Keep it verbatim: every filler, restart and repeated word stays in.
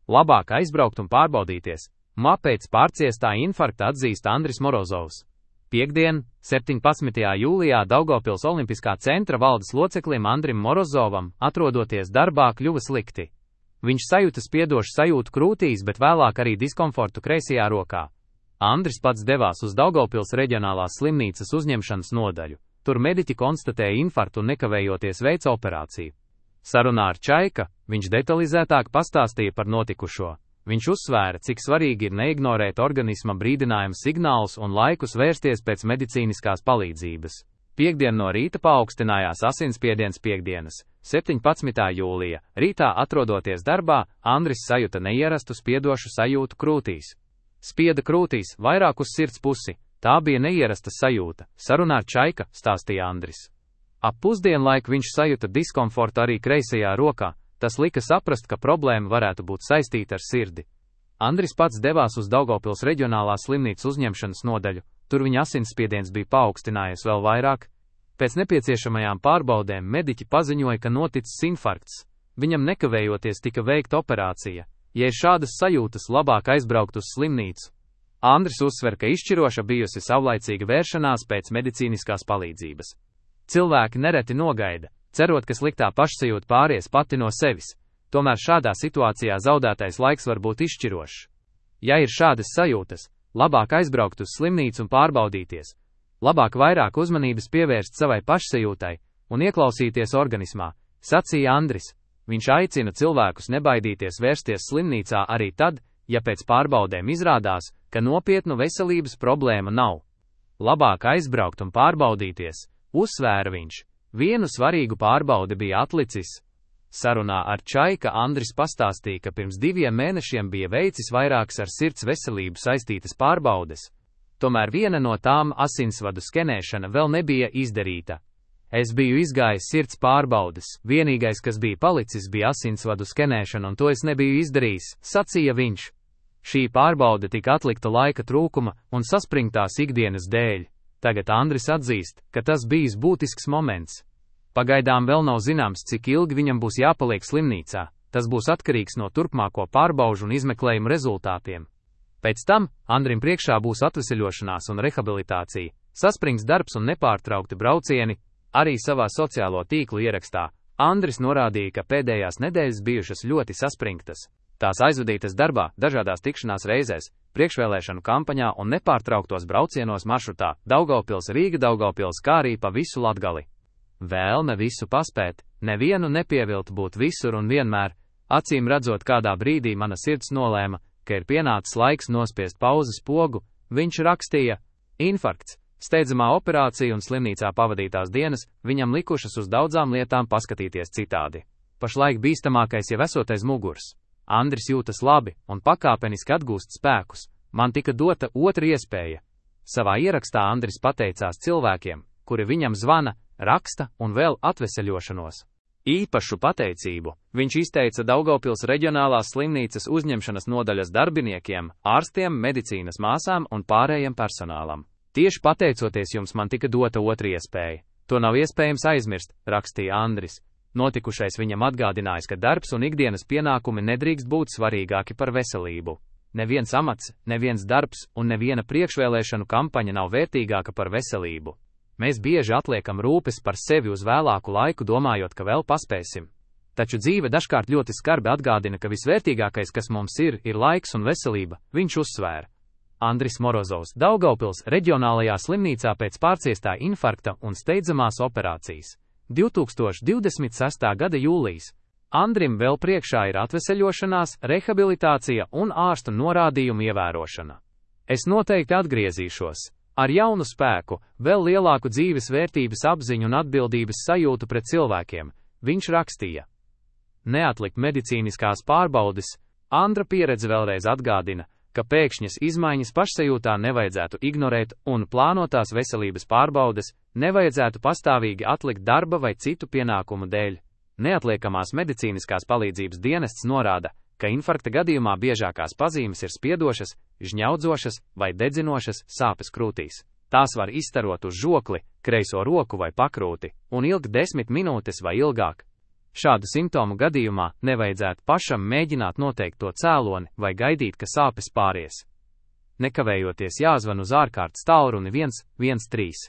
Labāk aizbraukt un pārbaudīties. Pēc pārciestā infarkta atzīst Andris Morozovs. Piektdien, septiņpadsmitajā jūlijā Daugavpils Olimpiskā centra valdes loceklim Andrim Morozovam, atrodoties darbā, kļuva slikti. Viņš sajūta spiedošu sajūtu krūtīs, bet vēlāk arī diskomfortu kreisajā rokā. Andris pats devās uz Daugavpils reģionālās slimnīcas uzņemšanas nodaļu. Tur mediķi konstatēja infarktu un nekavējoties veica operāciju. Sarunā ar Čaika viņš detalizētāk pastāstīja par notikušo. Viņš uzsvēra, cik svarīgi ir neignorēt organisma brīdinājumu signālus un laikus vērsties pēc medicīniskās palīdzības. Piektdien no rīta paaugstinājās asinsspiediens piektdienas, septiņpadsmitā jūlija. Rītā atrodoties darbā, Andris sajuta neierastu spiedošu sajūtu krūtīs. Spieda krūtīs, vairāk uz sirds pusi. Tā bija neierasta sajūta. Sarunā ar Čaika, stāstīja Andris. Ap pusdienlaiku viņš sajuta diskomfortu arī kreisajā rokā. Tas lika saprast, ka problēma varētu būt saistīta ar sirdi. Andris pats devās uz Daugavpils reģionālās slimnīcas uzņemšanas nodaļu, tur viņa asinsspiediens bija paaugstinājies vēl vairāk. Pēc nepieciešamajām pārbaudēm mediķi paziņoja, ka noticis infarkts. Viņam nekavējoties tika veikta operācija. Ja ir šādas sajūtas, labāk aizbraukt uz slimnīcu. Andris uzsver, ka izšķiroša bijusi savlaicīga vēršanās pēc medicīniskās palīdzības. Cilvēki nereti nogaida, cerot, ka sliktā pašsajūta pāries pati no sevis, tomēr šādā situācijā zaudētais laiks var būt izšķirošs. Ja ir šādas sajūtas, labāk aizbraukt uz slimnīcu un pārbaudīties, labāk vairāk uzmanības pievērst savai pašsajūtai un ieklausīties organismā, sacīja Andris. Viņš aicina cilvēkus nebaidīties vērsties slimnīcā arī tad, ja pēc pārbaudēm izrādās, ka nopietnu veselības problēma nav. Labāk aizbraukt un pārbaudīties, uzsvēra viņš. Vienu svarīgu pārbaudi bija atlicis. Sarunā ar Čaika Andris pastāstīja, ka pirms diviem mēnešiem bija veicis vairākas ar sirds veselību saistītas pārbaudes. Tomēr viena no tām, asinsvadu skenēšana, vēl nebija izdarīta. Es biju izgājis sirds pārbaudes, vienīgais, kas bija palicis, bija asinsvadu skenēšana, un to es nebiju izdarījis, sacīja viņš. Šī pārbaude tika atlikta laika trūkuma un saspringtās ikdienas dēļ. Tagad Andris atzīst, ka tas bijis būtisks moments. Pagaidām vēl nav zināms, cik ilgi viņam būs jāpaliek slimnīcā. Tas būs atkarīgs no turpmāko pārbaužu un izmeklējumu rezultātiem. Pēc tam Andrim priekšā būs atveseļošanās un rehabilitācija, saspringts darbs un nepārtraukti braucieni. Arī savā sociālo tīklu ierakstā Andris norādīja, ka pēdējās nedēļas bijušas ļoti saspringtas. Tās aizvadītas darbā, dažādās tikšanās reizēs, priekšvēlēšanu kampaņā un nepārtrauktos braucienos maršrutā Daugavpils, Rīga, Daugavpils, kā arī pa visu Latgali. Vēlme visu paspēt, nevienu nepievilt, būt visur un vienmēr, acīm redzot, kādā brīdī mana sirds nolēma, ka ir pienācis laiks nospiest pauzes pogu, viņš rakstīja. Infarkts, steidzamā operācija un slimnīcā pavadītās dienas viņam likušas uz daudzām lietām paskatīties citādi. Pašlaik bīstamākais jau esot aiz muguras. Andris jūtas labi un pakāpeniski atgūst spēkus. Man tika dota otra iespēja. Savā ierakstā Andris pateicās cilvēkiem, kuri viņam zvana, raksta un vēl atveseļošanos. Īpašu pateicību viņš izteica Daugavpils reģionālās slimnīcas uzņemšanas nodaļas darbiniekiem, ārstiem, medicīnas māsām un pārējiem personālam. Tieši pateicoties jums man tika dota otra iespēja. To nav iespējams aizmirst, rakstīja Andris. Notikušais viņam atgādinājis, ka darbs un ikdienas pienākumi nedrīkst būt svarīgāki par veselību. Neviens amats, neviens darbs un neviena priekšvēlēšanu kampaņa nav vērtīgāka par veselību. Mēs bieži atliekam rūpes par sevi uz vēlāku laiku, domājot, ka vēl paspēsim. Taču dzīve dažkārt ļoti skarbi atgādina, ka visvērtīgākais, kas mums ir, ir laiks un veselība, viņš uzsvēra. Andris Morozovs, Daugavpils reģionālajā slimnīcā pēc pārciestā infarkta un steidzamās operācijas. divtūkstoš divdesmit sestā gada jūlijs. Andrim vēl priekšā ir atveseļošanās, rehabilitācija un ārstu norādījumu ievērošana. Es noteikti atgriezīšos. Ar jaunu spēku, vēl lielāku dzīves vērtības apziņu un atbildības sajūtu pret cilvēkiem, viņš rakstīja. Neatlikt medicīniskās pārbaudes, Andra pieredze vēlreiz atgādina, ka pēkšņas izmaiņas pašsajūtā nevajadzētu ignorēt un plānotās veselības pārbaudes nevajadzētu pastāvīgi atlikt darba vai citu pienākumu dēļ. Neatliekamās medicīniskās palīdzības dienests norāda, ka infarkta gadījumā biežākās pazīmes ir spiedošas, žņaudzošas vai dedzinošas sāpes krūtīs. Tās var izstarot uz žokli, kreiso roku vai pakrūti un ilgt desmit minūtes vai ilgāk. Šādu simptomu gadījumā nevajadzētu pašam mēģināt noteikt to cēloni vai gaidīt, ka sāpes pāries. Nekavējoties jāzvan uz ārkārtas tālruni viens viens trīs.